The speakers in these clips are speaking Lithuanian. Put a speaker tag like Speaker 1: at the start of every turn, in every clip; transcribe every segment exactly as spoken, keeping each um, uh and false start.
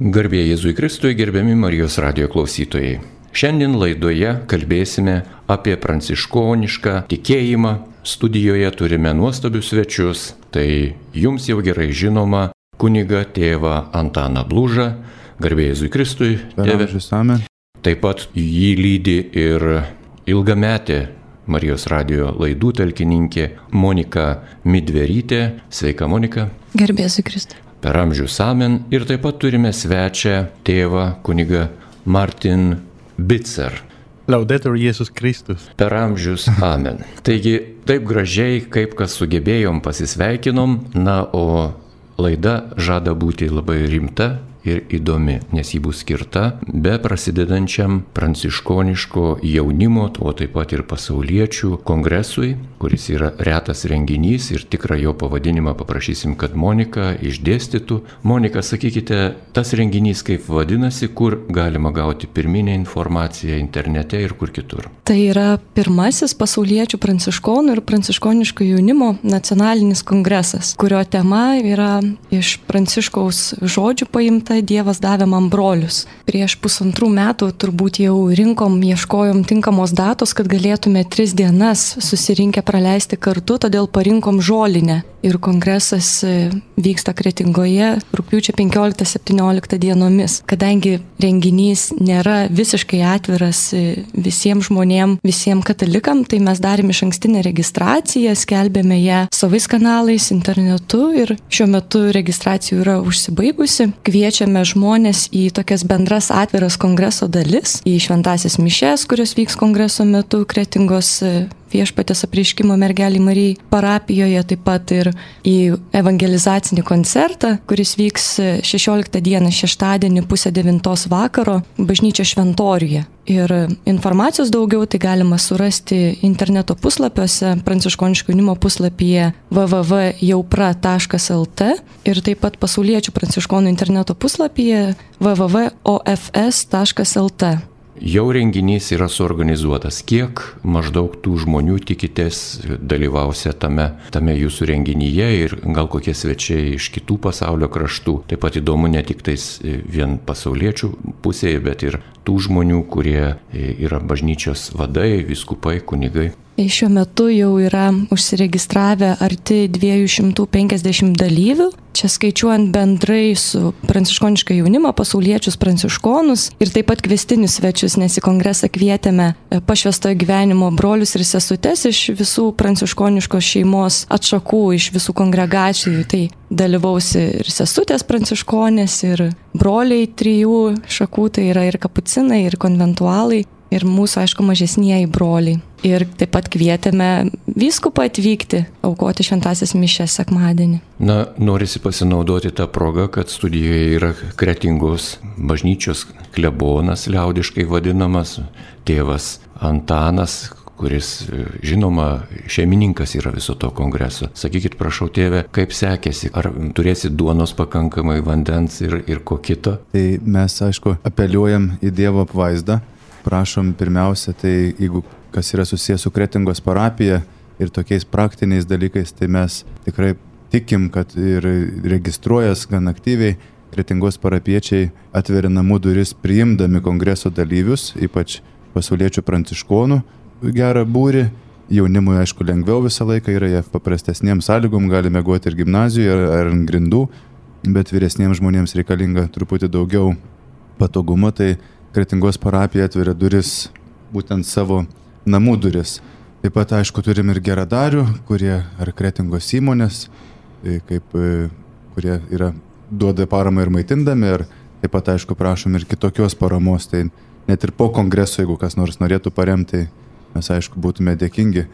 Speaker 1: Garbė Jėzui Kristui, gerbiami Marijos radijo klausytojai. Šiandien laidoje kalbėsime apie pranciškonišką tikėjimą. Studijoje turime nuostabius svečius. Tai jums jau gerai žinoma kunigą tėvą Antaną Blužą. Garbė Jėzui Kristui, tėve. Taip pat jį lydi ir ilgametė Marijos radijo laidų talkininkė Monika Midverytė. Sveika, Monika.
Speaker 2: Garbė Jėzui Kristui.
Speaker 1: Per amžius amen. Ir taip pat turime svečią tėvą kunigą Martin Bitzer.
Speaker 3: Laudetur Jėzus Kristus.
Speaker 1: Per amžius amen. Taigi taip gražiai, kaip kas sugebėjom, pasisveikinom, na, o laida žada būti labai rimta ir įdomi, nes ji bus skirta be prasidedančiam pranciškoniško jaunimo, o taip pat ir pasauliečių kongresui, kuris yra retas renginys ir tikrą jo pavadinimą paprašysim, kad Monika išdėstytų. Monika, sakykite, tas renginys kaip vadinasi, kur galima gauti pirminę informaciją internete ir kur kitur?
Speaker 2: Tai yra pirmasis pasauliečių pranciškonų ir pranciškoniško jaunimo nacionalinis kongresas, kurio tema yra iš Pranciškaus žodžių paimta Dievas davė man brolius. Prieš pusantrų metų turbūt jau rinkom, ieškojom tinkamos datos, kad galėtume tris dienas susirinkę praleisti kartu, todėl parinkom žolinę. Ir kongresas vyksta Kretingoje rugpjūčio penkioliktą septynioliktą dienomis. Kadangi renginys nėra visiškai atviras visiems žmonėm, visiems katalikam, tai mes darėm išankstinę registraciją, skelbėme ją savais kanalais, internetu ir šiuo metu registracijų yra užsibaigusi. Kviečiame žmonės į tokias bendras atviras kongreso dalis, į šventąsias mišes, kurios vyks kongreso metu Kretingos Viešpaties apreiškimo mergelei Marijai parapijoje, taip pat ir į evangelizacinį koncertą, kuris vyks šešioliktą dieną šeštadienį pusę devintos vakaro bažnyčios šventoriuje. Ir informacijos daugiau tai galima surasti interneto puslapiuose, pranciškoniško jaunimo puslapyje w w w taškas jaupra taškas l t ir taip pat pasauliečių pranciškonų interneto puslapyje w w w taškas o f s taškas l t.
Speaker 1: Jau renginys yra suorganizuotas. Kiek maždaug tų žmonių tikitės dalyvausia tame, tame jūsų renginyje ir gal kokie svečiai iš kitų pasaulio kraštų? Taip pat įdomu ne tik tais vien pasauliečių pusėje, bet ir tų žmonių, kurie yra bažnyčios vadai, vyskupai, kunigai.
Speaker 2: Šiuo metu jau yra užsiregistravę arti dviejų šimtų penkiasdešimt dalyvių. Čia skaičiuojant bendrai su pranciškonišką jaunimą, pasauliečius pranciškonus ir taip pat kviestinius svečius, nes į kongresą kvietėme pašvęstojo gyvenimo brolius ir sesutes iš visų pranciškoniškos šeimos atšakų, iš visų kongregacijų. Tai dalyvaus ir sesutės pranciškonės, ir broliai trijų šakų, tai yra ir kapucinai, ir konventualai. Ir mūsų, aišku, mažesnieji broliai. Ir taip pat kvietėme vyskupą atvykti, aukoti šventąsias mišias sekmadienį.
Speaker 1: Na, norisi pasinaudoti tą progą, kad studijoje yra Kretingos bažnyčios klebonas, liaudiškai vadinamas, tėvas Antanas, kuris, žinoma, šeimininkas yra viso to kongreso. Sakykit, prašau, tėve, kaip sekėsi? Ar turėsit duonos pakankamai, vandens ir, ir ko kito?
Speaker 3: Tai mes, aišku, apeliuojam į Dievo apvaizdą. Prašom pirmiausia, tai jeigu kas yra susijęs su Kretingos parapija ir tokiais praktiniais dalykais, tai mes tikrai tikim, kad ir registruojas gan aktyviai Kretingos parapiečiai atveria namų duris priimdami kongreso dalyvius, ypač pasauliečių pranciškonų gerą būrį. Jaunimui, aišku, lengviau visą laiką yra, jie paprastesniem sąlygom gali miegoti ir gimnazijoje ar, ar ant grindų, bet vyresniems žmonėms reikalinga truputį daugiau patogumo, tai Kretingos parapija atveria duris, būtent savo namų duris. Taip pat, aišku, turim ir geradarių, kurie ar Kretingos įmonės, kaip, kurie yra, duoda paramą ir maitindami, ir taip pat, aišku, prašom ir kitokios paramos. Tai net ir po kongreso, jeigu kas nors norėtų paremti, mes, aišku, būtume dėkingi,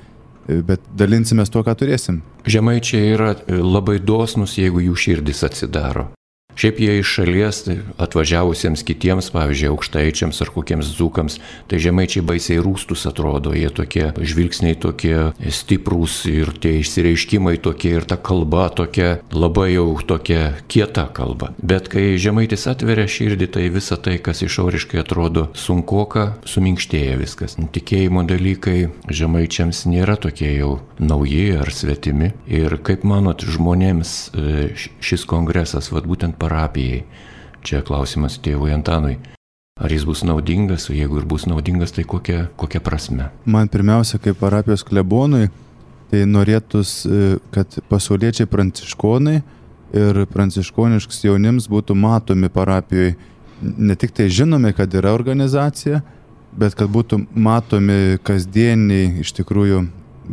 Speaker 3: bet dalinsimės tuo, ką turėsim.
Speaker 1: Žemaičiai yra labai dosnus, jeigu jų širdis atsidaro. Šiaip jie iš šalies atvažiavusiems kitiems, pavyzdžiui, aukštaičiams ar kokiems dzūkams, tai žemaičiai baisiai rūstus atrodo, jie tokie žvilgsniai tokie stiprūs ir tie išsireiškimai tokie ir ta kalba tokia labai jau tokia kieta kalba. Bet kai žemaitis atveria širdį, tai visa tai, kas išoriškai atrodo sunkoka, suminkštėja viskas. Tikėjimo dalykai žemaičiams nėra tokie jau nauji ar svetimi. Ir kaip manot, žmonėms šis kongresas, vat būtent parapijai, čia klausimas tėvui Antanui. Ar jis bus naudingas, o jeigu ir bus naudingas, tai kokia, kokia prasme?
Speaker 3: Man pirmiausia, kaip parapijos klebonui, tai norėtus, kad pasauliečiai pranciškonai ir pranciškoniškas jaunims būtų matomi parapijoje. Ne tik tai žinomi, kad yra organizacija, bet kad būtų matomi kasdieniai iš tikrųjų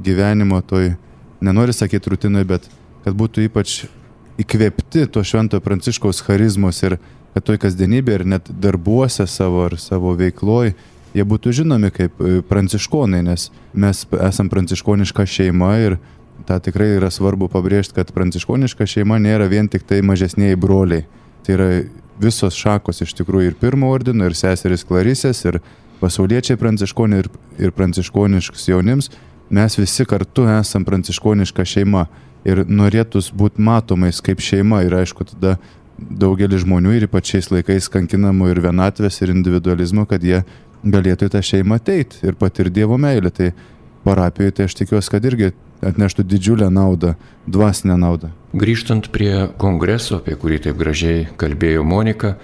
Speaker 3: gyvenimo toj, nenori sakyti rutinoj, bet kad būtų ypač įkvėpti to šventojo Pranciškaus charizmos ir kad toj kasdienybė ir net darbuose savo ar savo veikloj jie būtų žinomi kaip pranciškonai, nes mes esam pranciškoniška šeima ir tą tikrai yra svarbu pabrėžti, kad pranciškoniška šeima nėra vien tik tai mažesniai broliai. Tai yra visos šakos iš tikrųjų ir pirmo ordino, ir seseris Klarisės, ir pasauliečiai pranciškoniai, ir, ir pranciškoniškus jaunims. Mes visi kartu esam pranciškoniška šeima ir norėtus būti matomais kaip šeima. Ir aišku, tada daugelis žmonių ir ypač šiais laikais kankinamų ir vienatvės, ir individualizmo, kad jie galėtų į tą šeimą ateiti ir patirti Dievo meilę. Tai parapijoje, tai aš tikiuosi, kad irgi atneštų didžiulę naudą, dvasinę naudą.
Speaker 1: Grįžtant prie kongreso, apie kurį taip gražiai kalbėjo Monika,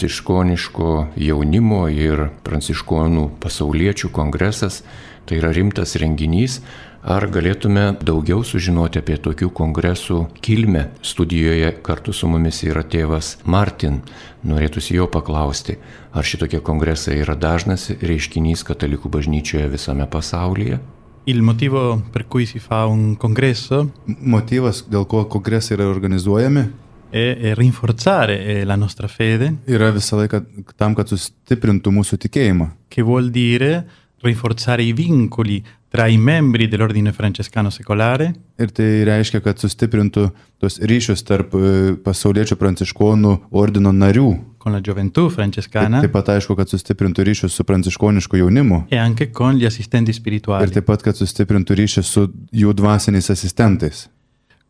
Speaker 1: pranciškoniško jaunimo ir pranciškonų pasauliečių kongresas, tai yra rimtas renginys. Ar galėtume daugiau sužinoti apie tokių kongresų kilmę? Studijoje kartu su mumis yra tėvas Martin. Norėtųsi jo paklausti, ar šitokie kongresai yra dažnas reiškinys katalikų bažnyčioje visame pasaulyje?
Speaker 4: Il motivo per cui si fa un congresso
Speaker 3: Motyvas, dėl ko kongresai yra organizuojami,
Speaker 4: è, è rinforzare eh, la nostra fede,
Speaker 3: yra visą laiką tam, kad sustiprintų mūsų tikėjimą.
Speaker 4: che vuol dire rinforzare i vincoli tra i membri dell'ordine francescano secolare
Speaker 3: Ir tai reiškia, kad sustiprintų tos ryšius tarp e, pasauliečių pranciškonų ordino narių.
Speaker 4: con la gioventù
Speaker 3: Taip,
Speaker 4: francescana
Speaker 3: taip pat aišku, kad sustiprintų ryšius su pranciškonišku jaunimu.
Speaker 4: e anche con gli assistenti
Speaker 3: Ir
Speaker 4: spirituali.
Speaker 3: taip pat, kad sustiprintų ryšius su jų dvasiniais asistentais.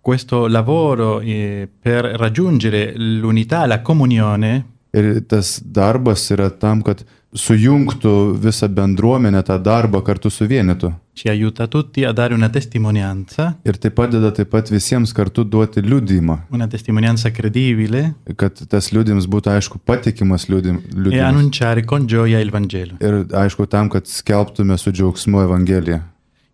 Speaker 4: Questo lavoro eh, per raggiungere l'unità, la comunione,
Speaker 3: Ir tas darbas yra tam, kad sujungtų visą bendruomenę, tą darbą kartu suvienytų.
Speaker 4: ci aiuta tutti a dare una testimonianza,
Speaker 3: Ir tai padeda taip pat visiems kartu duoti liudijimą,
Speaker 4: una testimonianza credibile
Speaker 3: kad tas liudijimas būtų aišku patikimas liudim-
Speaker 4: e
Speaker 3: liudijimas.
Speaker 4: annunciare con gioia il Vangelo.
Speaker 3: Ir aišku tam, kad skelbtume su džiaugsmu Evangeliją.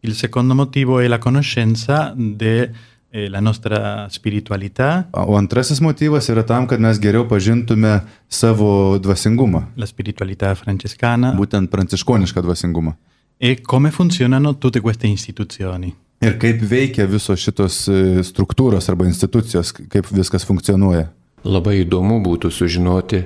Speaker 4: Il secondo motivo è la conoscenza della nostra spiritualità,
Speaker 3: O antrasis motyvas yra tam, kad mes geriau pažintume savo dvasingumą,
Speaker 4: la spiritualità francescana
Speaker 3: būtent pranciškonišką dvasingumą.
Speaker 4: e come funzionano tutte queste istituzioni.
Speaker 3: Ir kaip veikia visos šitos e, struktūros arba institucijos, kaip viskas funkcionuoja.
Speaker 1: Labai įdomu būtų sužinoti,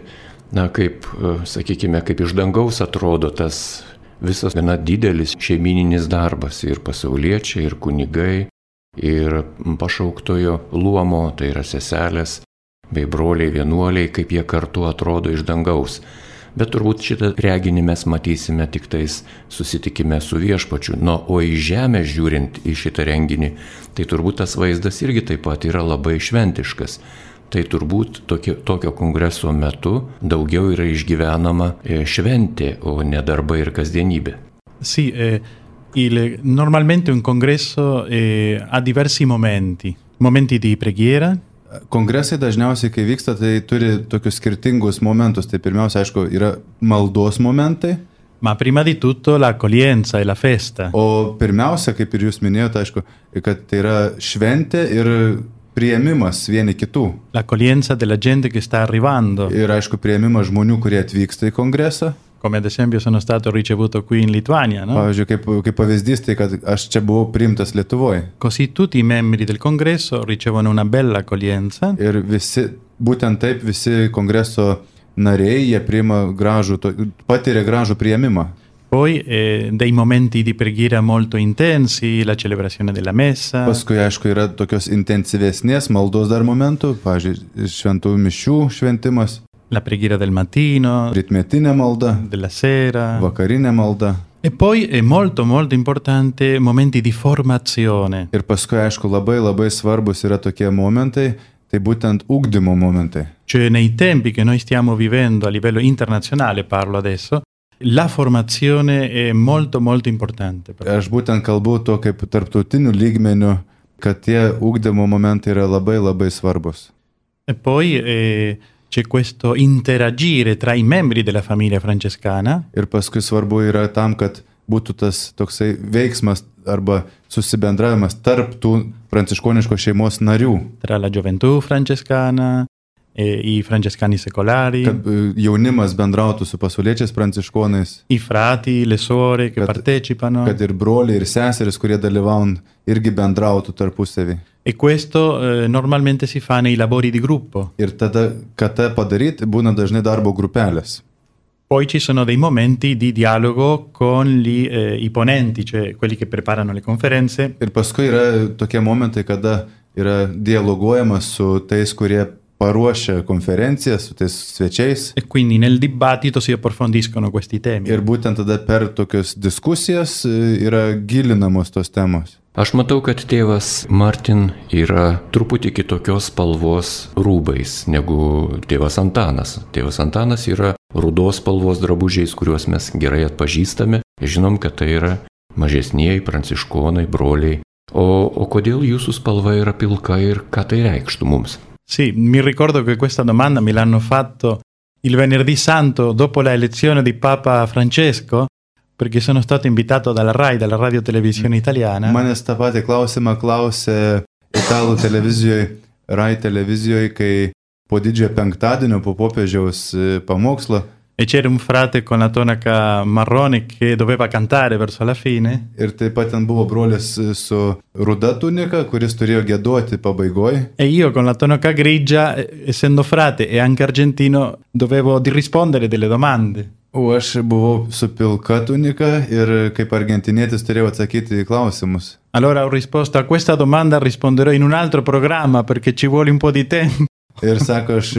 Speaker 1: na kaip, e, sakykime, kaip iš dangaus atrodo tas visas gana didelis šeimininis darbas ir pasauliečiai, ir kunigai, ir pašauktojo luomo, tai yra seselės, bei broliai vienuoliai, kaip jie kartu atrodo iš dangaus. Bet turbūt šitą reginį mes matysime tik tais susitikime su viešpačiu. No, o į žemę žiūrint į šitą renginį, tai turbūt tas vaizdas irgi taip pat yra labai šventiškas. Tai turbūt tokio, tokio kongreso metu daugiau yra išgyvenama šventė, o ne darbai ir kasdienybė.
Speaker 4: Sì, eh, il- normalmente un congresso eh, ha diversi momenti, momenti di preghiera,
Speaker 3: Kongresai dažniausiai, kai vyksta, tai turi tokius skirtingus momentus. Tai pirmiausia, aišku, yra maldos momentai,
Speaker 4: ma prima di tutto l'accoglienza e la festa.
Speaker 3: o pirmiausia, kaip ir jūs minėjote, aišku, kad tai yra šventė ir priėmimas vieni kitų.
Speaker 4: L'accoglienza della gente che sta arrivando,
Speaker 3: Ir aišku, priėmimas žmonių, kurie atvyksta į kongresą.
Speaker 4: come ad esempio sono stato ricevuto qui in Lituania, no?
Speaker 3: Pavyzdžiui, kaip, kaip pavyzdys, tai kad aš čia buvau priimtas Lietuvoje.
Speaker 4: Così tutti i membri del congresso ricevono una bella accoglienza
Speaker 3: Ir visi, būtent taip, visi kongreso nariai, jie priima gražų, to- patiria gražų priėmimą.
Speaker 4: poi eh, dei momenti di preghiera molto intensi, la celebrazione della messa,
Speaker 3: Paskui, aišku, yra tokios intensyvesnės maldos dar momentų, pavyzdžiui, šventų mišių šventimas,
Speaker 4: la preghiera del mattino,
Speaker 3: rytmetinė malda,
Speaker 4: della sera.
Speaker 3: vakarinė malda.
Speaker 4: E poi è molto molto importante momenti di formazione.
Speaker 3: Ir paskui, aišku, labai labai svarbus yra tokie momentai, tai būtent ugdymo momentai.
Speaker 4: Cioè nei tempi che noi stiamo vivendo a livello internazionale, parlo adesso, la formazione è molto molto importante.
Speaker 3: Aš būtent kalbu to kaip tarptautiniu lygmeniu, kad tie ugdymo momentai yra labai labai svarbus.
Speaker 4: E poi eh, c'è questo interagire tra i membri della famiglia francescana.
Speaker 3: Ir paskui svarbu yra tam, kad būtų tas toksai veiksmas arba susibendravimas tarp tų pranciškoniškos šeimos narių.
Speaker 4: Tra la gioventù francescana e i francescani secolari.
Speaker 3: Kad jaunimas bendrautų su pasauliečiais pranciškonais.
Speaker 4: I frati, le suore che
Speaker 3: kad,
Speaker 4: partecipano.
Speaker 3: Kad ir broliai, ir seseris, kurie dalyvaun, irgi bendrautų tarpusavį.
Speaker 4: E questo eh, normalmente si fa nei lavori di gruppo.
Speaker 3: Ir tada, kad tą padaryti, būna dažnai darbo grupelės.
Speaker 4: Poi ci sono dei momenti di dialogo con gli, eh, i ponenti, cioè quelli che preparano le conferenze.
Speaker 3: Ir paskui yra tokie momentai, kada yra dialoguojama su tais, kurie paruošia konferencijas, su tais svečiais.
Speaker 4: E quindi nel dibattito si approfondiscono questi temi.
Speaker 3: Ir būtent tada per tokias diskusijas yra gilinamos tos temos.
Speaker 1: Aš matau, kad tėvas Martin yra truputį kitokios spalvos rūbais negu tėvas Antanas. Tėvas Antanas yra rudos spalvos drabužiais, kuriuos mes gerai atpažįstame. Žinom, kad tai yra mažesnieji pranciškonai, broliai. O, o kodėl jūsų spalva yra pilka ir ką tai reikštų mums?
Speaker 4: Sì, mi ricordo che questa domanda me l'hanno fatto il venerdì santo dopo la elezione di Papa Francesco, perché sono stato invitato dalla RAI, dalla Radio Televisione Italiana.
Speaker 3: Manęs tą patį klausimą klausė italų televizijoje, RAI televizijoje, kai po didžiojo penktadienio, po popiežiaus pamokslo.
Speaker 4: E c'era un frate con la tonaca marrone che doveva cantare verso la fine.
Speaker 3: Ir taip pat ten buvo brolis su ruda tunika, kuris turėjo giedoti pabaigoj.
Speaker 4: E io con la tonaca grigia, essendo frate e anche argentino, dovevo rispondere delle domande.
Speaker 3: O aš buvau su pilka tunika ir kaip argentinietis turėjau atsakyti į klausimus.
Speaker 4: Allora ho risposto a questa domanda, risponderò in un altro programma perché ci vuole un po' di tempo.
Speaker 3: Ir sako, aš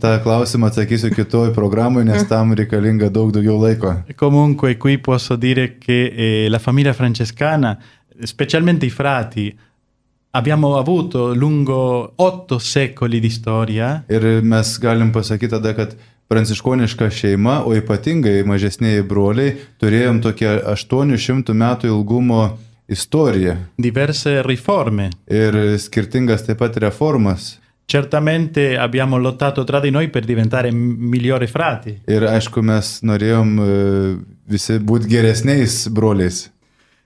Speaker 3: tą klausimą atsakysiu kitoj programai, nes tam reikalinga daug daugiau laiko.
Speaker 4: Comunque qui posso dire che eh, la famiglia francescana, specialmente i frati, abbiamo avuto lungo otto secoli di storia.
Speaker 3: Ir mes galim pasakyti tada, kad pranciškoniška šeima, o ypatingai mažesnieji broliai, turėjom tokią aštuonių šimtų metų ilgumo istoriją.
Speaker 4: Diverse riforme.
Speaker 3: Ir skirtingas taip pat reformas.
Speaker 4: Certamente abbiamo lottato tra di noi per diventare migliori frati.
Speaker 3: Ir aišku, mes norėjom visi būti geresniais broliais.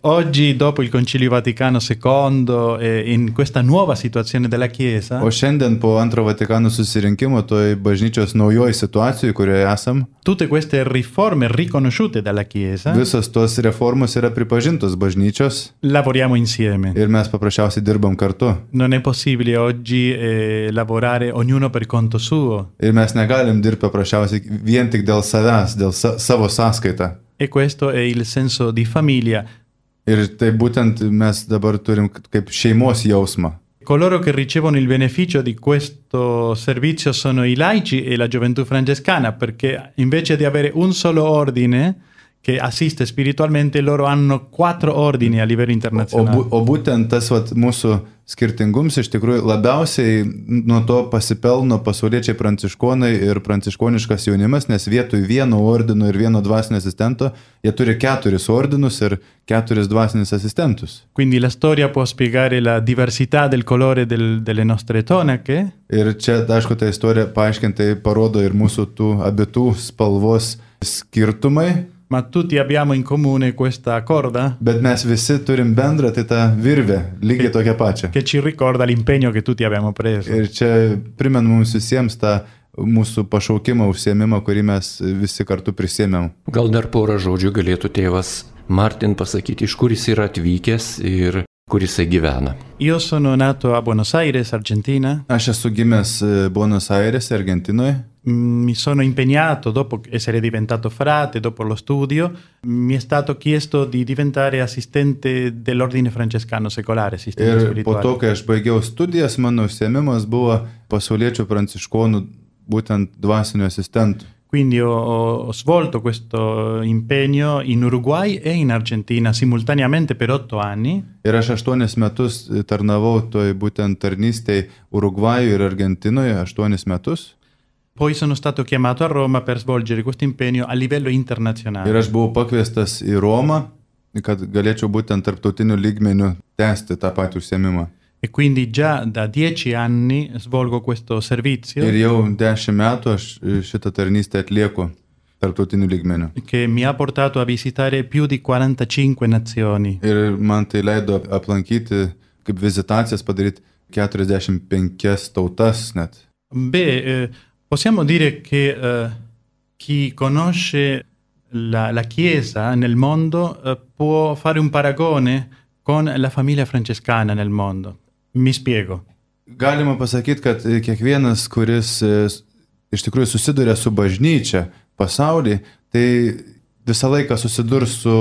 Speaker 4: Oggi, dopo il Concilio Vaticano secondo, e in questa nuova situazione della Chiesa,
Speaker 3: o šiandien po antro Vatikano susirinkimo, toj bažnyčios naujoj situacijoje, kurioje esam,
Speaker 4: tutte queste riforme riconosciute dalla Chiesa,
Speaker 3: visos tos reformos yra pripažintos bažnyčios,
Speaker 4: lavoriamo insieme.
Speaker 3: Ir mes paprasčiausiai dirbam kartu.
Speaker 4: Non è possibile oggi eh, lavorare ognuno per conto suo.
Speaker 3: Ir mes negalim dirbti paprasčiausiai vien tik dėl savęs, dėl sa savo sąskaitą.
Speaker 4: E questo è il senso di famiglia.
Speaker 3: Ir tai būtent mes dabar turim kaip šeimos jausmą.
Speaker 4: Coloro che ricevono il beneficio di questo servizio sono i laici e la gioventù francescana, perché invece di avere un solo ordine che assiste spiritualmente, loro hanno quattro ordini a livello internazionale.
Speaker 3: O, bu, o būtent tas vat, mūsų skirtingums iš tikrųjų labiausiai nuo to pasipelno pasauliečiai pranciškonai ir pranciškoniškas jaunimas, nes vietoj vieno ordino ir vieno dvasinio asistento, jie turi keturis ordinus ir keturis dvasinius asistentus.
Speaker 4: Quindi la storia può spiegare la diversità del colore del, delle nostre tonache.
Speaker 3: Ir čia, aišku, ta istorija paaiškintai parodo ir mūsų tų abitų spalvos skirtumai.
Speaker 4: Ma tutti abbiamo in comune questa corda.
Speaker 3: Bet mes visi turim bendrą, tai tą virvę, lygiai tokią pačią.
Speaker 4: Che ci ricorda l'impegno che tutti abbiamo preso.
Speaker 3: Ir čia primena mums visiems tą mūsų pašaukimą, užsiėmimą, kurį mes visi kartu prisėmėm.
Speaker 1: Gal dar porą žodžių galėtų tėvas Martin pasakyti, iš kur jis yra atvykęs ir kur jisai gyvena.
Speaker 4: Io sono nato a Buenos Aires, Argentina.
Speaker 3: Aš esu gimęs Buenos Aires, Argentinoje.
Speaker 4: Mi sono impegnato, dopo essere diventato frate, dopo lo studio, mi è stato chiesto di diventare assistente dell'ordine francescano secolare, assistente
Speaker 3: ir
Speaker 4: spirituale.
Speaker 3: Po to, kai aš baigiau studijas, mano užsiėmimas buvo pasauliečių pranciškonų būtent dvasinių asistentų.
Speaker 4: Quindi ho, ho svolto questo impegno in Uruguay e in Argentina simultaneamente per otto anni.
Speaker 3: Ir aš aštuonis metus tarnavau toj būtent tarnystėj Urugvajuje ir Argentinoje, aštuonis metus.
Speaker 4: Poi sono stato chiamato a Roma per svolgere questo impegno a livello internazionale.
Speaker 3: Ir aš buvau pakviestas į Romą, kad galėčiau būtent tarptautiniu lygmeniu tęsti tą patį užsiėmimą.
Speaker 4: E quindi già da dieci anni svolgo questo servizio.
Speaker 3: Ir jau dešimt metų aš šitą tarnystę atlieku tarptautiniu lygmeniu.
Speaker 4: Che mi ha portato a visitare più di quarantacinque nazioni.
Speaker 3: Ir man tai leido aplankyti, kaip vizitacijas padaryti keturiasdešimt penkias tautas net.
Speaker 4: Beh, eh, possiamo dire che eh, chi conosce la, la Chiesa nel mondo eh, può fare un paragone con la famiglia francescana nel mondo. Mi spiego.
Speaker 3: Galima pasakyti, kad kiekvienas, kuris iš tikrųjų susiduria su bažnyčia pasaulyje, tai visą laiką susidurs su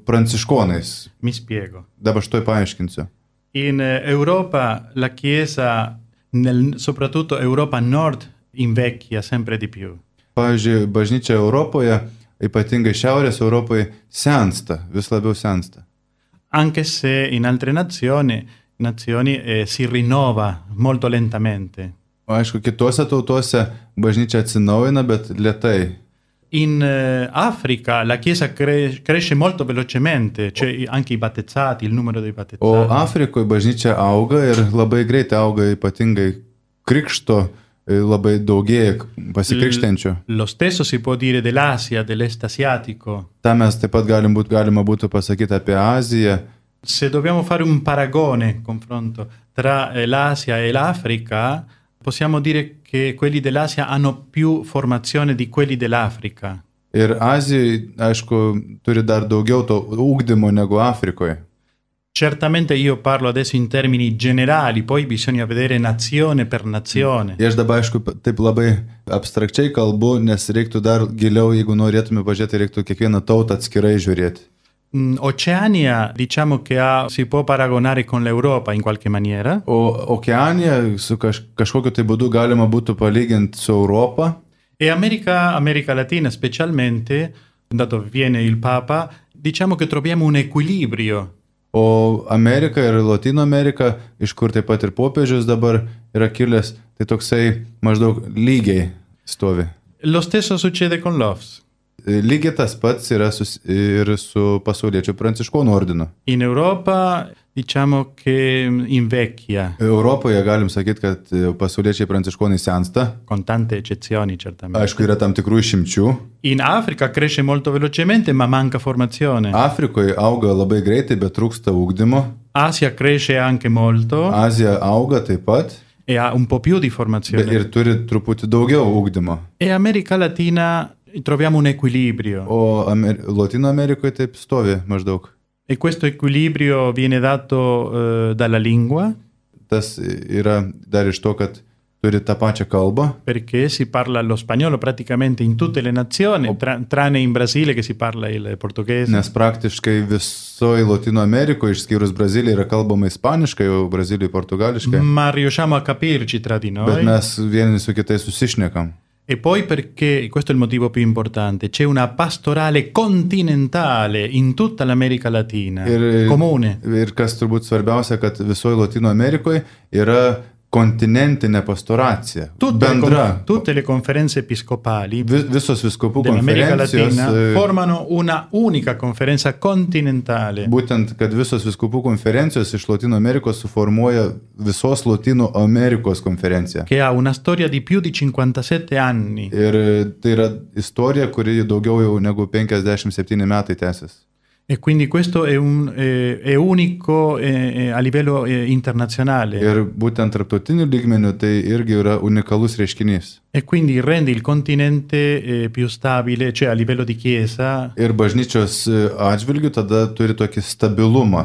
Speaker 3: pranciškonais.
Speaker 4: Mi spiego.
Speaker 3: Dabar aš to paaiškinsiu.
Speaker 4: In Europa la Chiesa, nel, soprattutto Europa Nord, invecchia sempre di più.
Speaker 3: Pavyzdžiui, bažnyčia Europoje, ypatingai Šiaurės Europoje, sensta, vis labiau sensta.
Speaker 4: Anche se in altre nazioni nazioni eh, si rinnova molto lentamente.
Speaker 3: Aišku, kitose tautose bažnyčia atsinaujina, bet lėtai.
Speaker 4: In eh, Africa la Chiesa cre- cresce molto velocemente, cioè anche i battezzati, il numero dei battezzati.
Speaker 3: O Afrikoje bažnyčia auga ir labai greitai auga, ypatingai krikšto labai daugėja pasikrikštenčių.
Speaker 4: Lo stesso si può dire dell'Asia, dell'est asiatico.
Speaker 3: Ta mes taip pat galim būt, galima būtų pasakyti apie Aziją.
Speaker 4: Se dobbiamo fare un paragone, confronto tra l'Asia e l'Africa, possiamo dire che quelli dell'Asia hanno più formazione di quelli dell'Africa.
Speaker 3: Ir Azijai, aišku, turi dar daugiau to ugdymo negu Afrikoje.
Speaker 4: Certamente io parlo adesso in termini generali, poi bisogna vedere nazione per nazione.
Speaker 3: Ir aš dabar, aišku, taip labai abstrakčiai kalbu, nes reiktų dar giliau, jeigu norėtume pažiūrėti, reiktų kiekvieną tautą atskirai žiūrėti.
Speaker 4: Oceania, diciamo che ha, si può paragonare con l'Europa in qualche maniera.
Speaker 3: O Okeanija su kaž, kažkokiu tai būdu galima būtų palyginti su Europa.
Speaker 4: E America, America Latina specialmente, da dove viene il Papa, diciamo che troviamo un equilibrio.
Speaker 3: O Amerika ir Latino Amerika, iš kur taip pat ir popiežius dabar yra kilęs, tai toksai maždaug lygiai stovi.
Speaker 4: Lo stesso succede con l'O F S.
Speaker 3: Lygiai tas pats yra sus, ir su pasauliečių pranciškonų ordinu.
Speaker 4: In Europa diciamo che invecchia.
Speaker 3: Europoje galim sakyti, kad pasauliečiai pranciškonai sensta.
Speaker 4: Con tante eccezioni, certamente.
Speaker 3: Aišku, yra tam tikrų išimčių.
Speaker 4: In Africa cresce molto velocemente, ma manca formazione.
Speaker 3: Afrikoje auga labai greitai, bet trūksta ugdymo.
Speaker 4: Asia cresce anche molto.
Speaker 3: Azija auga taip pat.
Speaker 4: E ha un po' più di formazione.
Speaker 3: Ir turi truputį daugiau ugdymo.
Speaker 4: E America Latina troviamo un equilibrio.
Speaker 3: O Amer- Latino Amerikoje taip stovi maždaug.
Speaker 4: E questo equilibrio viene dato eh, dalla lingua.
Speaker 3: Tas yra dar iš to, kad turi tą pačią kalbą.
Speaker 4: Perché si parla lo spagnolo praticamente in tutte le nazioni, tra- tranne in Brasile che si parla il portoghese.
Speaker 3: Nes praktiškai visoje Latino Amerikoje, išskyrus Braziliją, yra kalbama ispaniškai, o Brazilijoje portugališkai.
Speaker 4: Ma riusciamo a capirci tra di noi.
Speaker 3: Bet mes vieni su kitais susišnekam.
Speaker 4: E poi perché, questo è il motivo più importante, c'è una pastorale continentale in tutta l'America Latina,
Speaker 3: ir,
Speaker 4: comune.
Speaker 3: Ir kas turbūt svarbiausia, kad visoje Latino Amerikoje yra kontinentinė pastoracija.
Speaker 4: Tutte,
Speaker 3: bendra.
Speaker 4: Le, tutte le conferenze episcopali
Speaker 3: Vis, visos viskupų
Speaker 4: dell'America
Speaker 3: konferencijos
Speaker 4: Latina formano una unica conferenza continentale.
Speaker 3: Būtent, kad visos viskupų konferencijos iš Latino Amerikos suformuoja visos Latino Amerikos konferenciją.
Speaker 4: Che ha una storia di più di cinquantasette anni.
Speaker 3: Ir tai yra istorija, kuri daugiau jau negu penkiasdešimt septyni metai tęsis.
Speaker 4: E quindi questo è, un, eh, è unico eh, a livello eh, internazionale.
Speaker 3: Ir būtent tarptautiniu lygmeniu tai irgi yra unikalus reiškinys.
Speaker 4: E quindi rende il continente eh, più stabile, cioè a livello di chiesa.
Speaker 3: Ir bažnyčios atžvilgių tada turi tokį stabilumą.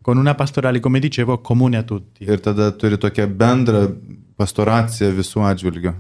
Speaker 4: Con una pastorale, come dicevo, comune a tutti.
Speaker 3: Ir tada turi tokią bendrą pastoraciją visų atžvilgių.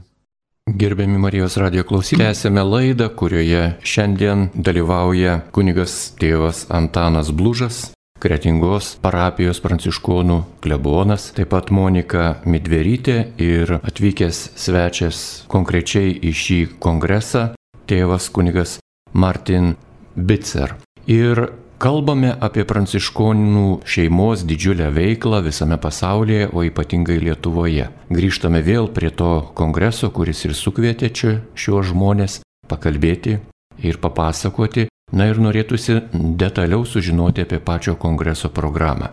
Speaker 1: Gerbiami Marijos radijo klausytojai, esame laidą, kurioje šiandien dalyvauja kunigas tėvas Antanas Blužas, Kretingos parapijos pranciškonų klebonas, taip pat Monika Midverytė ir atvykęs svečias konkrečiai į šį kongresą, tėvas kunigas Martin Bitzer. Ir kalbame apie pranciškonų šeimos didžiulę veiklą visame pasaulyje, o ypatingai Lietuvoje. Grįžtame vėl prie to kongreso, kuris ir sukvietė čia šiuos žmonės pakalbėti ir papasakoti. Na ir norėtųsi detaliau sužinoti apie pačio kongreso programą.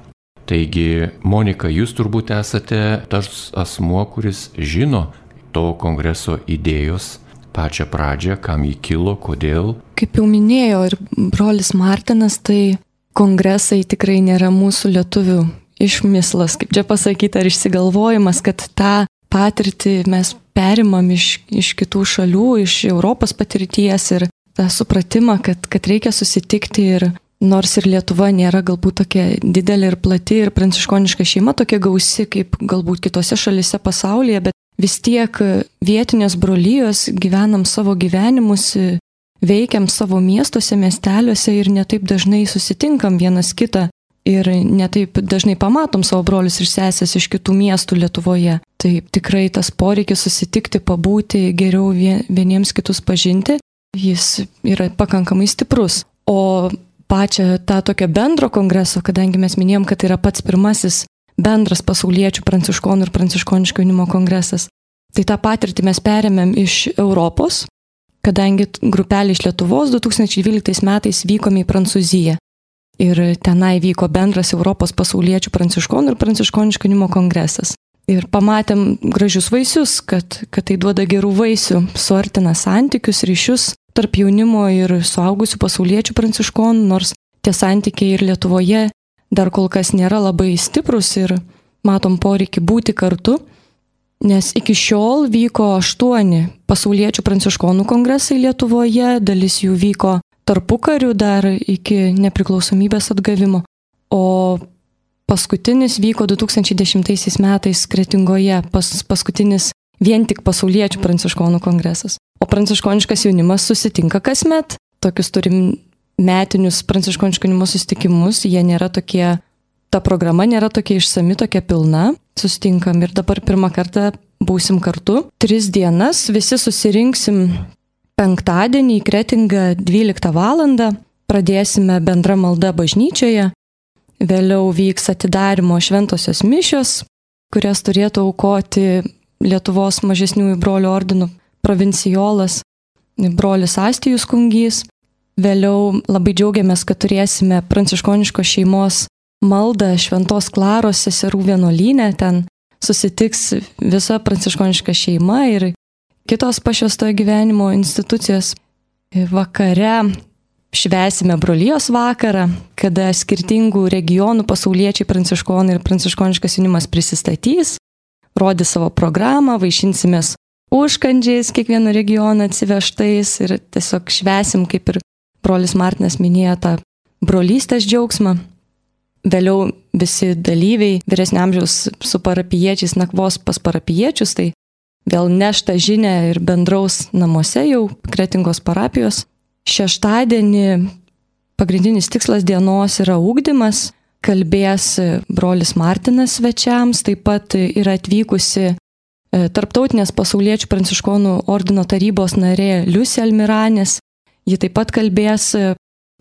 Speaker 1: Taigi, Monika, jūs turbūt esate tas asmuo, kuris žino to kongreso idėjos pačią pradžią, kam jį kilo, kodėl.
Speaker 2: Kaip jau minėjo ir brolis Martinas, tai kongresai tikrai nėra mūsų lietuvių išmislas, kaip čia pasakyti, ar išsigalvojimas, kad tą patirtį mes perimam iš, iš kitų šalių, iš Europos patirties ir tą supratimą, kad, kad reikia susitikti ir nors ir Lietuva nėra galbūt tokia didelė ir plati ir pranciškoniška šeima tokia gausi kaip galbūt kitose šalise pasaulyje, bet vis tiek vietinės brolijos gyvenam savo gyvenimus, veikiam savo miestuose, miesteliuose ir netaip dažnai susitinkam vienas kitą ir netaip dažnai pamatom savo brolius ir sesės iš kitų miestų Lietuvoje. Tai tikrai tas poreikis susitikti, pabūti, geriau vieniems kitus pažinti, jis yra pakankamai stiprus. O pačią tą tokio bendro kongreso, kadangi mes minėjom, kad tai yra pats pirmasis bendras pasauliečių pranciškonų ir pranciškoniško jaunimo kongresas, tai tą patirtį mes perėmėm iš Europos, kadangi grupelė iš Lietuvos du tūkstančiai dvyliktais metais vykome į Prancūziją. Ir tenai vyko bendras Europos pasauliečių pranciškonų ir pranciškoniško jaunimo kongresas. Ir pamatėm gražius vaisius, kad, kad tai duoda gerų vaisių, suartina santykius, ryšius tarp jaunimo ir suaugusių pasauliečių pranciškonų, nors tie santykiai ir Lietuvoje dar kol kas nėra labai stiprus ir matom poreikį būti kartu, nes iki šiol vyko aštuoni pasauliečių pranciškonų kongresai Lietuvoje, dalis jų vyko tarpukariu dar iki nepriklausomybės atgavimo, o paskutinis vyko du tūkstančiai dešimtaisiais metais Kretingoje, pas, paskutinis vien tik pasauliečių pranciškonų kongresas. O pranciškoniškas jaunimas susitinka kasmet, tokius turim metinius pranciškoniško jaunimo susitikimus, jie nėra tokie, ta programa nėra tokia išsami, tokia pilna, susitinkam ir dabar pirmą kartą būsim kartu. Tris dienas visi susirinksim penktadienį į Kretingą dvyliktą valandą, pradėsime bendra malda bažnyčioje, vėliau vyks atidarimo šventosios mišios, kurias turėtų aukoti Lietuvos mažesniųjų brolių ordinų provincijolas, brolis Astijus Kungys. Vėliau labai džiaugiamės, kad turėsime pranciškoniškos šeimos maldą Šventos Klaros seserų vienuolyne, ten susitiks visa pranciškoniška šeima ir kitos pašvęstojo gyvenimo institucijos. Vakare švęsime brolijos vakarą, kada skirtingų regionų pasauliečiai pranciškonai ir pranciškoniškas jaunimas prisistatys, rodys savo programą, vaišinsimės užkandžiais kiekvieno regiono atsivežtais ir tiesiog švęsim, kaip ir brolis Martinas minėjo, tą brolystės džiaugsmą. Vėliau visi dalyviai, vyresnio amžiaus su parapijiečiais nakvos pas parapijiečius, tai vėl nešta žinia ir bendraus namuose jau Kretingos parapijos. Šeštadienį pagrindinis tikslas dienos yra ugdymas, kalbės brolis Martinas svečiams, taip pat yra atvykusi Tarptautinės pasauliečių pranciškonų ordino tarybos narė Liusė Almiranis. Ji taip pat kalbės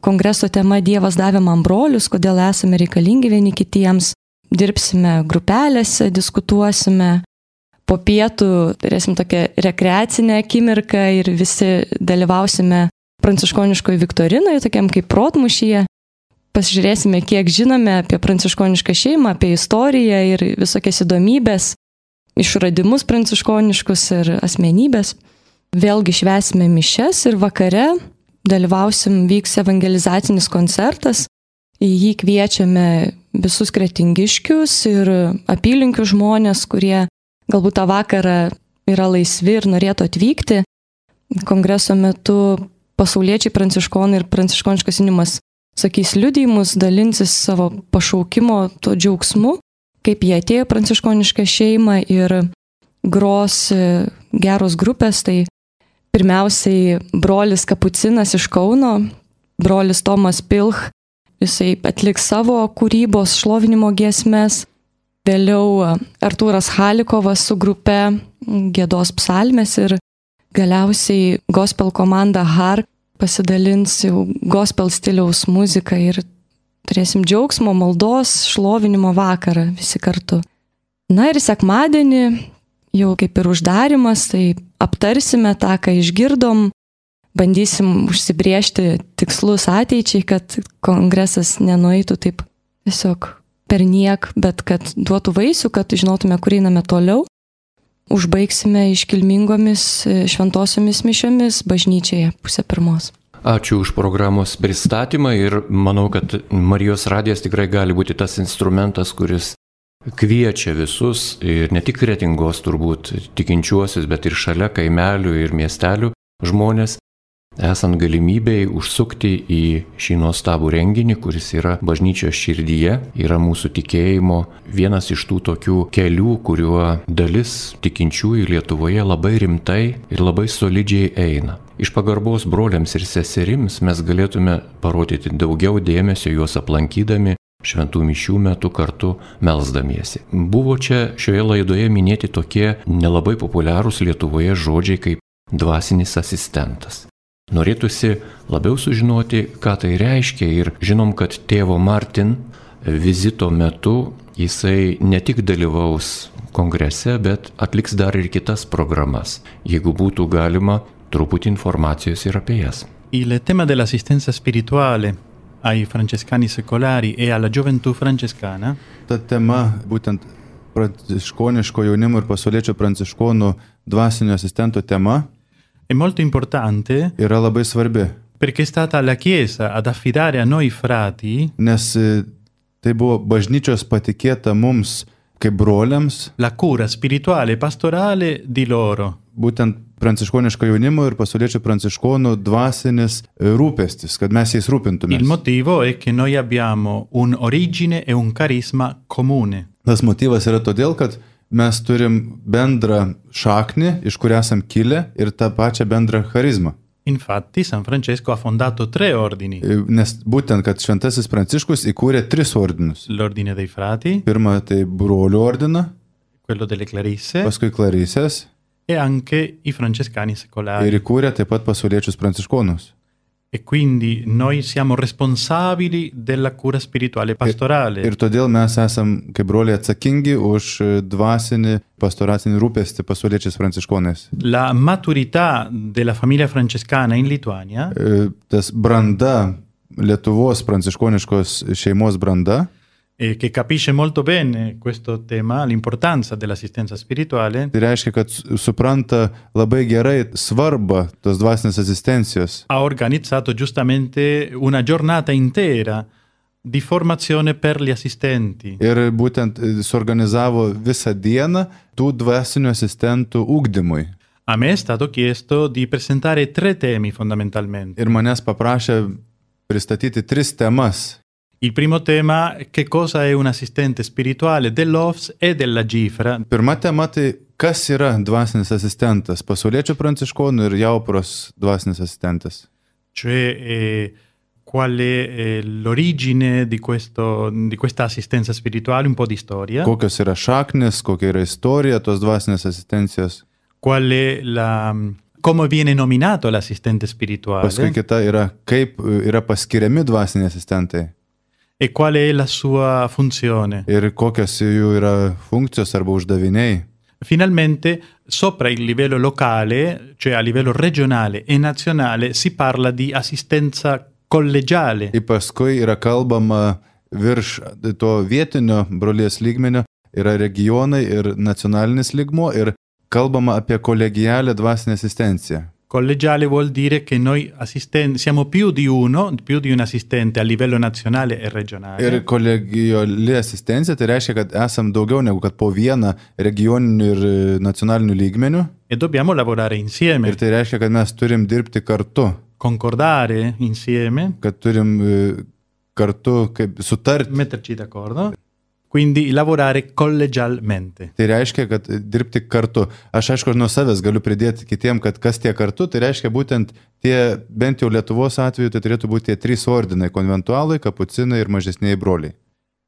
Speaker 2: kongreso tema Dievas davė man brolius, kodėl esame reikalingi vieni kitiems. Dirbsime grupelėse, diskutuosime. Po pietų turėsim tokią rekreacinę akimirką ir visi dalyvausime pranciškoniškoje viktorinoje, tokiam kaip protmušyje. Pasižiūrėsime, kiek žinome apie pranciškonišką šeimą, apie istoriją ir visokias įdomybės, išradimus pranciškoniškus ir asmenybės. Vėlgi švęsime mišias ir vakare dalyvausim, vyks evangelizacinis koncertas. Į jį kviečiame visus kretingiškius ir apylinkių žmonės, kurie galbūt tą vakarą yra laisvi ir norėtų atvykti. Kongreso metu pasauliečiai pranciškonai ir pranciškoniškas jaunimas sakys liudijimus, dalinsis savo pašaukimo to džiaugsmu, kaip jie atėjo pranciškonišką šeimą ir gros geros grupės. Tai pirmiausiai brolis Kapucinas iš Kauno, brolis Tomas Pilch, jisai atliks savo kūrybos šlovinimo giesmes. Vėliau Artūras Halikovas su grupe giedos psalmes ir galiausiai gospel komanda Hark pasidalins jau gospel stiliaus muziką ir turėsim džiaugsmo, maldos, šlovinimo vakarą visi kartu. Na ir sekmadienį jau kaip ir uždarimas, tai aptarsime tą, ką išgirdom, bandysim užsibriežti tikslus ateičiai, kad kongresas nenueitų taip tiesiog per niek, bet kad duotų vaisių, kad žinotume, kur einame toliau. Užbaigsime iškilmingomis šventosiomis mišiomis bažnyčioje pusę pirmos.
Speaker 1: Ačiū už programos pristatymą ir manau, kad Marijos radijas tikrai gali būti tas instrumentas, kuris kviečia visus ir ne tik Kretingos turbūt tikinčiuosius, bet ir šalia kaimelių ir miestelių žmonės, esant galimybei užsukti į šį nuostabų renginį, kuris yra bažnyčios širdyje, yra mūsų tikėjimo vienas iš tų tokių kelių, kuriuo dalis tikinčiųjų Lietuvoje labai rimtai ir labai solidžiai eina. Iš pagarbos broliams ir seserims mes galėtume parodyti daugiau dėmesio juos aplankydami, šventų mišių metu kartu melsdamiesi. Buvo čia šioje laidoje minėti tokie nelabai populiarūs Lietuvoje žodžiai kaip dvasinis asistentas. Norėtųsi labiau sužinoti, ką tai reiškia ir žinom, kad tėvo Martin vizito metu jisai ne tik dalyvaus kongrese, bet atliks dar ir kitas programas. Jeigu būtų galima, truputį informacijos ir apie jas.
Speaker 4: Il tema dell'assistenza spirituale ai francescani secolari e alla gioventù francescana.
Speaker 3: Ta tema, būtent pranciškoniško jaunimo ir pasauliečio pranciškonų dvasinio asistento tema,
Speaker 4: è molto importante,
Speaker 3: yra labai svarbi,
Speaker 4: perché è stata la Chiesa ad affidare a noi frati,
Speaker 3: nes tai buvo bažnyčios patikėta mums kaip broliams,
Speaker 4: la cura spirituale e pastorale di loro.
Speaker 3: Būtent pranciškoniško jaunimo ir pasauliečio pranciškonų dvasinis rūpestis, kad mes jais rūpintumės.
Speaker 4: Il motivo è che noi abbiamo un'origine e un carisma comune.
Speaker 3: Tas motyvas yra todėl, kad mes turim bendrą šaknį, iš kur esam kilę, ir tą pačią bendrą charizmą.
Speaker 4: Infatti San Francesco ha fondato tre ordini.
Speaker 3: Nes būtent, kad šventasis Pranciškus įkūrė tris ordinus.
Speaker 4: L'ordine dei frati,
Speaker 3: Pirma, tai brolių ordiną,
Speaker 4: quello delle clarisse
Speaker 3: paskui Klarisės
Speaker 4: e anche i francescani secolari.
Speaker 3: ir įkūrė taip pat pasauliečius pranciškonus.
Speaker 4: E quindi noi siamo responsabili della cura spirituale e pastorale.
Speaker 3: Ir todėl mes esam kaip broliai atsakingi už dvasinį pastoracinį rūpestį pasauliečiais pranciškonais.
Speaker 4: La maturità della famiglia francescana in Lituania,
Speaker 3: Tas branda, Lietuvos pranciškoniškos šeimos branda,
Speaker 4: eh, che capisce molto bene questo tema, l'importanza dell'assistenza spirituale,
Speaker 3: tai reiškia, kad supranta labai gerai svarbą tos dvasinės asistencijos.
Speaker 4: ha organizzato giustamente una giornata intera di formazione per gli assistenti.
Speaker 3: Ir būtent suorganizavo visą dieną tų dvasinių asistentų ugdymui.
Speaker 4: A me è stato chiesto di presentare tre temi fondamentalmente.
Speaker 3: Ir manęs paprašė pristatyti tris temas.
Speaker 4: Il primo tema, che cosa è un assistente spirituale dell'O F S e della Gifra.
Speaker 3: Pirma tema tai, kas yra dvasinis asistentas, pasauliečio pranciškonų ir Jaupros dvasinis asistentas.
Speaker 4: Cioè eh, qual è eh, l'origine di, questo, di questa assistenza spirituale, un po' di storia.
Speaker 3: Kokios yra šaknis, kokia yra istorija tos dvasinės asistencijos.
Speaker 4: Qual è la, come viene nominato l'assistente spirituale.
Speaker 3: Paskui kita yra, kaip yra paskiriami dvasiniai asistentai.
Speaker 4: E qual è la sua funzione.
Speaker 3: Ir kokios jų yra funkcijos arba uždaviniai.
Speaker 4: Finalmente, sopra il livello locale, cioè a livello regionale e nazionale, si parla di assistenza collegiale.
Speaker 3: Ir paskui yra kalbama virš to vietinio brolijos lygmenio, yra regionai ir nacionalinis lygmuo ir kalbama apie kolegialę dvasinę asistenciją.
Speaker 4: Collegiale vuol dire che noi assisten- siamo più di uno, più di un assistente a livello nazionale e regionale.
Speaker 3: Ir kolegiali asistencija tai reiškia, kad esam daugiau negu kad po vieną regioninių ir nacionalinių lygmenių.
Speaker 4: E dobbiamo lavorare insieme,
Speaker 3: Ir tai reiškia, kad mes turim dirbti kartu,
Speaker 4: concordare insieme,
Speaker 3: kad turim e, kartu kaip sutarti.
Speaker 4: metterci d'accordo. Quindi lavorare collegialmente.
Speaker 3: Tai reiškia, kad dirbti kartu. Aš aišku, nuo savęs galiu pridėti kitiem, kad kas tie kartu, tai reiškia būtent tie, bent jau Lietuvos atveju, tai turėtų būti tie trys ordinai - konventualai, kapucinai ir mažesniai broliai.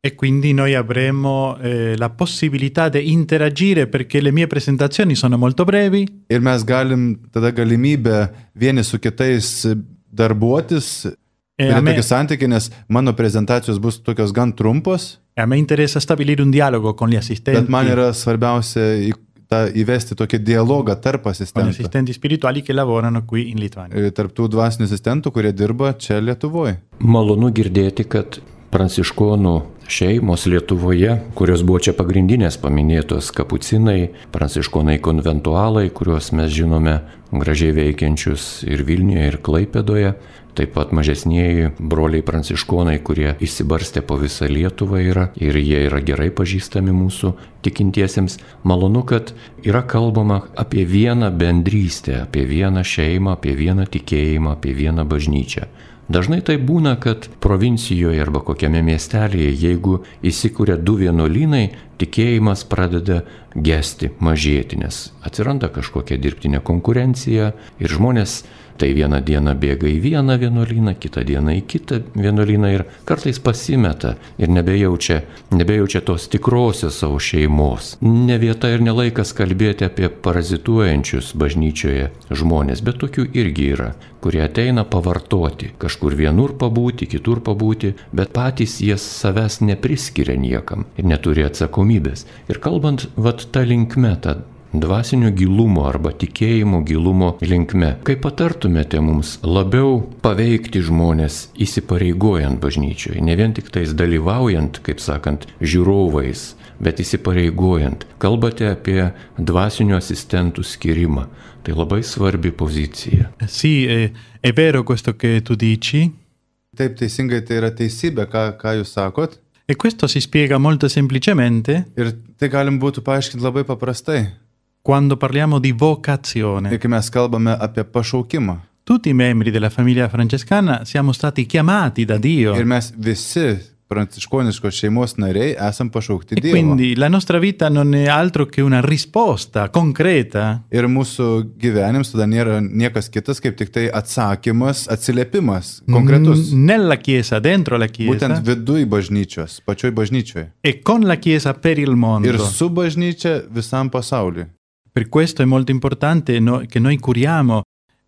Speaker 4: E quindi noi avremo eh, la possibilità di interagire perché le mie presentazioni sono molto brevi.
Speaker 3: Ir mes galim tada galimybę vieni su kitais darbuotis,
Speaker 4: E
Speaker 3: turėti
Speaker 4: a me-
Speaker 3: tokį santykį, nes mano prezentacijos bus tokios gan trumpos,
Speaker 4: E a me interessa stabilire un dialogo con gli assistenti,
Speaker 3: bet man yra svarbiausia į, tą, įvesti tokį dialogą tarp
Speaker 4: con gli
Speaker 3: asistentų.
Speaker 4: assistenti spirituali che lavorano qui in Lituania.
Speaker 3: E, Tarp tų dvasinių asistentų, kurie dirba čia Lietuvoje.
Speaker 1: Malonu girdėti, kad pranciškonų šeimos Lietuvoje, kurios buvo čia pagrindinės paminėtos kapucinai, pranciškonai konventualai, kuriuos mes žinome gražiai veikiančius ir Vilniuje, ir Klaipėdoje, taip pat mažesnieji broliai pranciškonai, kurie išsibarstė po visą Lietuvą yra ir jie yra gerai pažįstami mūsų tikintiesiems. Malonu, kad yra kalbama apie vieną bendrystę, apie vieną šeimą, apie vieną tikėjimą, apie vieną bažnyčią. Dažnai tai būna, kad provincijoje arba kokiame miestelėje, jeigu įsikuria du vienuolynai, tikėjimas pradeda gesti, mažėti, nes atsiranda kažkokia dirbtinė konkurencija ir žmonės tai vieną dieną bėga į vieną vienuolyną, kitą dieną į kitą vienuolyną ir kartais pasimeta ir nebejaučia, nebejaučia tos tikrosios savo šeimos. Ne vieta ir nelaikas kalbėti apie parazituojančius bažnyčioje žmonės, bet tokių irgi yra, kurie ateina pavartoti, kažkur vienur pabūti, kitur pabūti, bet patys jie savęs nepriskiria niekam ir neturi atsakomybės. Ir kalbant vat tą linkme, tą dvasinio gilumo arba tikėjimo gilumo linkme, kaip patartumėte mums labiau paveikti žmonės įsipareigojant bažnyčioje, ne vien tik tais dalyvaujant, kaip sakant, žiūrovais, bet įsipareigojant. Kalbate apie dvasinių asistentų skirimą. Tai labai svarbi pozicija.
Speaker 4: Sì, è, è vero questo che tu dici.
Speaker 3: Taip, teisingai, tai yra teisybė, ką, ką jūs sakot.
Speaker 4: E questo si spiega molto semplicemente.
Speaker 3: Ir tai galim būtų paaiškinti labai paprastai.
Speaker 4: Quando parliamo di vocazione.
Speaker 3: Ir kai mes kalbame apie pašaukimą.
Speaker 4: Tutti i membri della famiglia francescana siamo stati chiamati da Dio.
Speaker 3: Ir mes visi pranciškoniškos šeimos nariai esam pašaukti
Speaker 4: e
Speaker 3: Dievo.
Speaker 4: Quindi la nostra vita non è altro che una risposta concreta.
Speaker 3: Ir mūsų gyvenims tada nėra niekas kitas, kaip tik tai atsakymas, atsiliepimas, konkretus.
Speaker 4: Nella chiesa, dentro la chiesa.
Speaker 3: Būtent viduj bažnyčios, pačioj bažnyčioje.
Speaker 4: E con la chiesa per il mondo.
Speaker 3: Ir su bažnyčia visam pasauliui.
Speaker 4: Per questo è molto importante no, che noi curiamo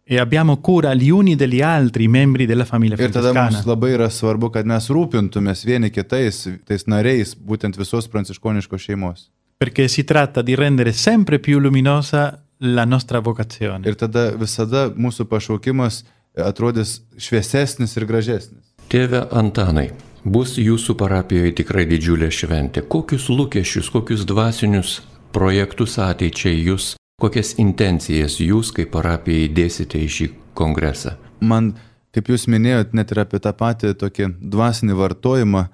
Speaker 4: e abbiamo cura gli uni degli altri membri della famiglia francescana.
Speaker 3: Ir tada mums labai yra svarbu, kad mes rūpintumės vieni kitais, tais nariais, būtent visos pranciškoniškos šeimos.
Speaker 4: Perché si tratta di rendere sempre più luminosa la nostra vocazione.
Speaker 3: Ir tada visada mūsų pašaukimas atrodys šviesesnis ir gražesnis.
Speaker 1: Tėve Antanai, bus jūsų parapijoje tikrai didžiulė šventė. Kokius lūkesčius, kokius dvasinius projektus ateičiai jūs, kokias intencijas jūs kaip parapijai dėsite į šį kongresą?
Speaker 3: Man, kaip jūs minėjot, net ir apie tą patį tokį dvasinį vartojimą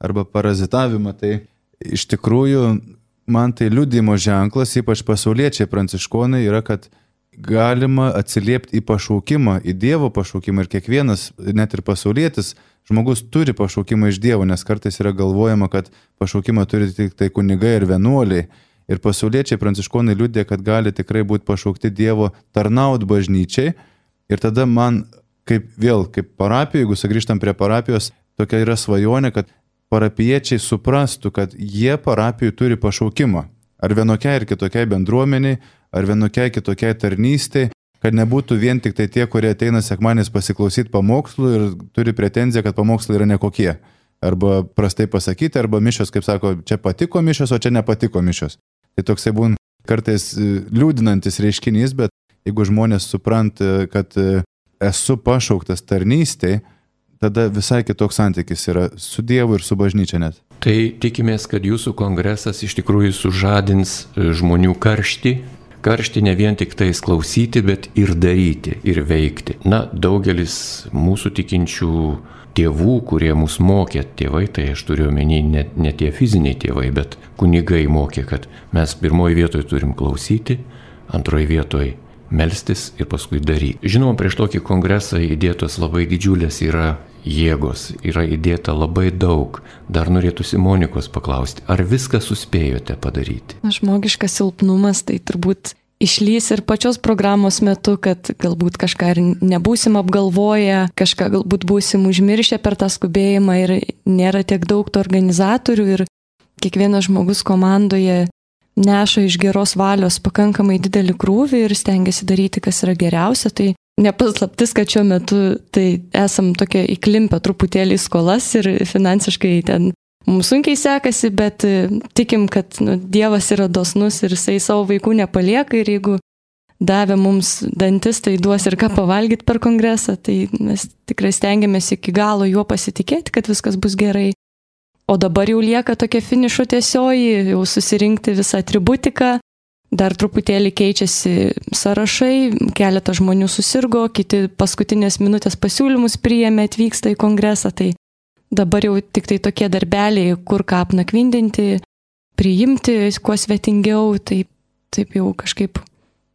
Speaker 3: arba parazitavimą, tai iš tikrųjų man tai liudijimo ženklas, ypač pasauliečiai pranciškonai, yra, kad galima atsiliepti į pašaukimą, į Dievo pašaukimą ir kiekvienas, net ir pasaulietis, žmogus turi pašaukimą iš Dievo, nes kartais yra galvojama, kad pašaukimą turi tik tai kunigai ir vienuoliai. Ir pasauliečiai pranciškonai liudė, kad gali tikrai būti pašaukti Dievo tarnaut bažnyčiai. Ir tada man, kaip vėl, kaip parapijų, jeigu sugrįžtam prie parapijos, tokia yra svajonė, kad parapiečiai suprastų, kad jie parapijų turi pašaukimą. Ar vienokiai ir kitokiai bendruomeniai, ar vienokiai kitokiai tarnystei, kad nebūtų vien tik tai tie, kurie ateina sekmadieniais pasiklausyti pamokslų ir turi pretenziją, kad pamokslai yra nekokie. Arba prastai pasakyti, arba mišios, kaip sako, čia patiko mišios, o čia nepatiko mišios. Tai toksai būna kartais liūdinantis reiškinys, bet jeigu žmonės supranta, kad esu pašauktas tarnystei, tada visai kitoks santykis yra su Dievu ir su bažnyčia net.
Speaker 1: Tai tikimės, kad jūsų kongresas iš tikrųjų sužadins žmonių karštį, karštį ne vien tik tais klausyti, bet ir daryti, ir veikti. Na, daugelis mūsų tikinčių tėvų, kurie mus mokė, tėvai, tai aš turiu omeny ne, ne tie fiziniai tėvai, bet kunigai mokė, kad mes pirmoji vietoje turim klausyti, antroji vietoje melstis ir paskui daryti. Žinoma, prieš tokį kongresą įdėtos labai didžiulės yra jėgos, yra įdėta labai daug. Dar norėtųsi Monikos paklausti, ar viską suspėjote padaryti?
Speaker 2: Žmogiškas silpnumas tai turbūt išlys ir pačios programos metu, kad galbūt kažką ir nebūsim apgalvoję, kažką galbūt būsim užmiršę per tą skubėjimą ir nėra tiek daug tų organizatorių ir kiekvienas žmogus komandoje neša iš geros valios pakankamai didelį krūvį ir stengiasi daryti, kas yra geriausia. Tai nepaslaptis, kad šiuo metu tai esam tokie įklimpę truputėlį į skolas ir finansiškai ten mums sunkiai sekasi, bet tikim, kad nu, Dievas yra dosnus ir jisai savo vaikų nepalieka ir jeigu davė mums dantis, tai duos ir ką pavalgyti per kongresą, tai mes tikrai stengiamės iki galo juo pasitikėti, kad viskas bus gerai. O dabar jau lieka tokia finišo tiesioji, jau susirinkti visą atributiką, dar truputėlį keičiasi sąrašai, keletas žmonių susirgo, kiti paskutinės minutės pasiūlymus priėmė, atvyksta į kongresą, tai dabar jau tik tai tokie darbeliai, kur ką apnakvindinti, priimti kuo svetingiau, tai taip jau kažkaip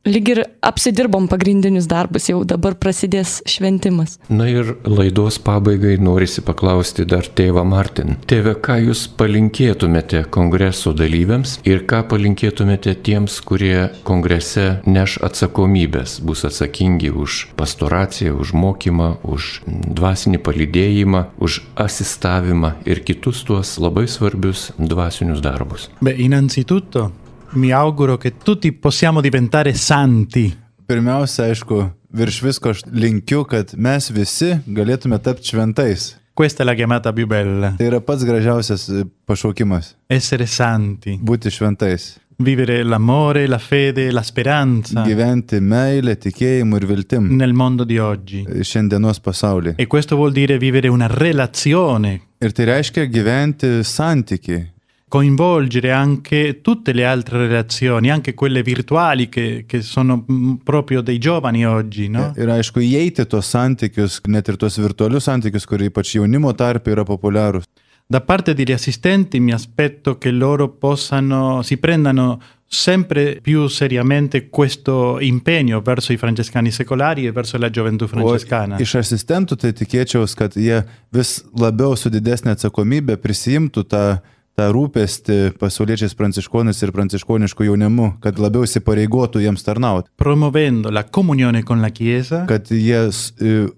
Speaker 2: lyg ir apsidirbom pagrindinius darbus, jau dabar prasidės šventimas.
Speaker 1: Na ir laidos pabaigai norisi paklausti dar tėvą Martin. Tėve, ką jūs palinkėtumėte kongreso dalyviams ir ką palinkėtumėte tiems, kurie kongrese neš atsakomybės, bus atsakingi už pastoraciją, už mokymą, už dvasinį palydėjimą, už asistavimą ir kitus tuos labai svarbius dvasinius darbus?
Speaker 4: Beh, innanzitutto mi auguro che tutti possiamo diventare santi.
Speaker 3: Pirmiausia, aišku, virš visko aš linkiu, kad mes visi galėtume tapti šventais.
Speaker 4: Questa è la chiamata più bella.
Speaker 3: Tai yra pats gražiausias pašaukimas.
Speaker 4: Essere santi.
Speaker 3: Būti šventais.
Speaker 4: Vivere l'amore, la fede, la speranza.
Speaker 3: Gyventi meilę, tikėjimu ir viltim.
Speaker 4: Nel mondo di oggi.
Speaker 3: Šiandienos pasaulyje.
Speaker 4: E questo vuol dire vivere una relazione.
Speaker 3: Ir tai reiškia gyventi santykiai.
Speaker 4: Coinvolgere anche tutte le altre relazioni, anche quelle virtuali che, che sono proprio dei giovani oggi, no?
Speaker 3: Ir aišku, įeiti tos santykius, net ir tos virtualius santykius, kurie ypač jaunimo tarpe yra populiarūs.
Speaker 4: Da parte degli assistenti mi aspetto che loro possano, si prendano sempre più seriamente questo impegno verso i francescani secolari e verso la gioventù francescana.
Speaker 3: O iš asistentų tai tikėčiaus, kad jie vis labiau su didesnė atsakomybė prisijimtų tą tą rūpestį pasauliečiais pranciškonais ir pranciškoniškų jaunimu, kad labiau įsipareigotų jiems tarnauti.
Speaker 4: Promovendo la comunione con la Chiesa.
Speaker 3: Kad jie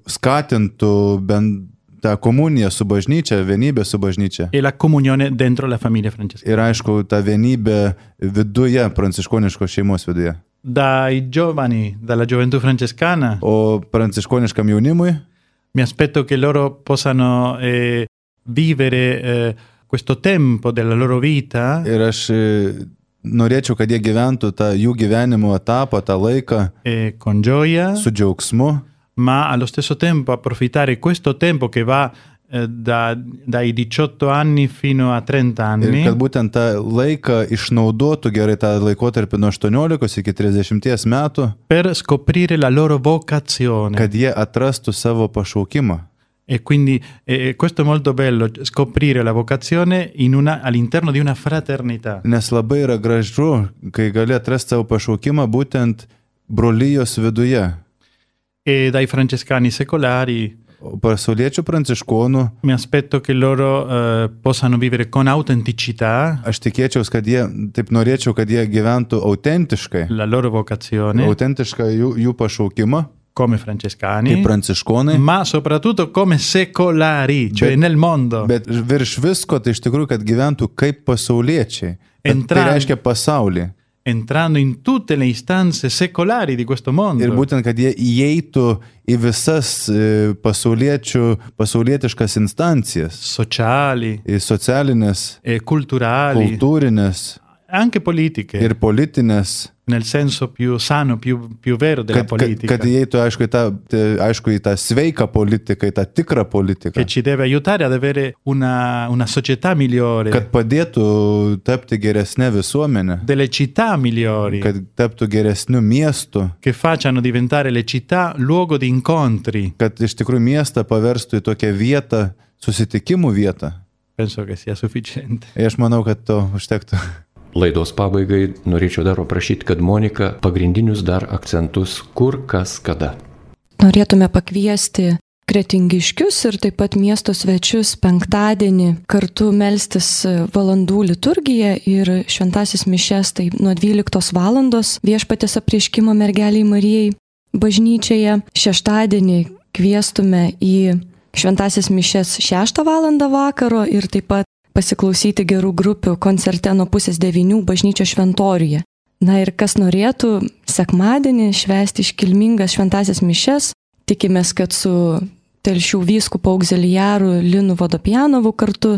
Speaker 3: skatintų bent tą komuniją su bažnyčia, vienybę su bažnyčia.
Speaker 4: E la comunione dentro la famiglia francescana.
Speaker 3: Ir aišku, tą vienybę viduje, pranciškoniškos šeimos viduje.
Speaker 4: Dai giovani, dalla gioventù francescana.
Speaker 3: O pranciškoniškam jaunimui.
Speaker 4: Mi aspetto che loro possano eh, vivere eh, questo tempo della loro vita.
Speaker 3: Ir aš norėčiau, kad jie gyventų tą jų gyvenimo etapą, tą laiką
Speaker 4: e con gioia,
Speaker 3: su džiaugsmu,
Speaker 4: ma allo stesso tempo approfittare questo tempo che va eh, da, dai diciotto anni fino a trenta anni.
Speaker 3: Ir kad būtent tą laiką išnaudotų gerai tą laikotarpį nuo aštuoniolikos iki trisdešimties metų,
Speaker 4: per scoprire la loro vocazione.
Speaker 3: Kad jie atrastų savo pašaukimą.
Speaker 4: E quindi eh, questo è molto bello, scoprire la vocazione in una, all'interno di una fraternità.
Speaker 3: Nes labai yra gražu, kai gali atrasti savo pašaukimą būtent brolijos viduje.
Speaker 4: E dai francescani secolari,
Speaker 3: pasauliečių pranciškonų,
Speaker 4: mi aspetto che loro eh, possano vivere con autenticità.
Speaker 3: Aš tikėčiaus, kad jie, taip norėčiau, kad jie gyventų autentiškai.
Speaker 4: La loro vocazione.
Speaker 3: Autentišką jų, jų pašaukimą.
Speaker 4: Come francescani,
Speaker 3: kaip pranciškonai,
Speaker 4: ma soprattutto come secolari, cioè
Speaker 3: bet,
Speaker 4: nel mondo.
Speaker 3: Bet virš visko tai iš tikrųjų, kad gyventų kaip pasauliečiai.
Speaker 4: Entran,
Speaker 3: tai reiškia pasaulį.
Speaker 4: Entrando in tutte le istanze secolari di questo mondo.
Speaker 3: Ir būtent, kad jie įeitų į visas pasauliečių, pasaulietiškas instancijas.
Speaker 4: Sociali.
Speaker 3: Į socialinės.
Speaker 4: E culturali.
Speaker 3: Kultūrinės.
Speaker 4: Anche politiche.
Speaker 3: Ir politinės.
Speaker 4: Nel senso più sano, più, più vero della
Speaker 3: kad,
Speaker 4: politica.
Speaker 3: Kad, kad įeitų, aišku, į tą, aišku, į tą sveiką politiką, į tą tikrą politiką.
Speaker 4: Che ci deve aiutare ad avere una, una società migliore.
Speaker 3: Kad padėtų tapti geresnė visuomenė.
Speaker 4: Delle città migliori.
Speaker 3: Kad taptų geresnių miestų.
Speaker 4: Che facciano diventare le città luogo di incontri.
Speaker 3: Kad iš tikrųjų miestą paverstų į tokią vietą, susitikimų vietą.
Speaker 4: Penso che sia sufficiente.
Speaker 3: Ir aš manau, kad to užtektų.
Speaker 1: Laidos pabaigai norėčiau dar paprašyti, kad Monika pagrindinius dar akcentus kur, kas, kada.
Speaker 2: Norėtume pakviesti kretingiškius ir taip pat miesto svečius penktadienį kartu melstis valandų liturgiją ir šventasis mišias, tai nuo dvyliktos valandos Viešpaties apreiškimo mergeliai Marijai bažnyčioje. Šeštadienį kviestume į šventasis mišias šeštą valandą vakaro ir taip pat pasiklausyti gerų grupių koncerte nuo pusės devynių bažnyčios šventoriuje. Na ir kas norėtų sekmadienį švęsti iškilmingas šventasias mišias, tikimės, kad su Telšių vyskupu augziliaru Linu Vodopjanovu kartu,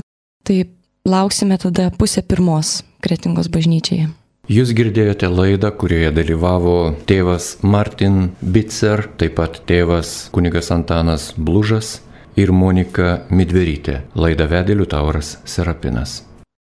Speaker 2: tai lauksime tada pusę pirmos Kretingos bažnyčiai.
Speaker 1: Jūs girdėjote laidą, kurioje dalyvavo tėvas Martin Bitzer, taip pat tėvas kunigas Antanas Blužas. ir Monika Midverytė. Laidą vedė Liutauras Serapinas.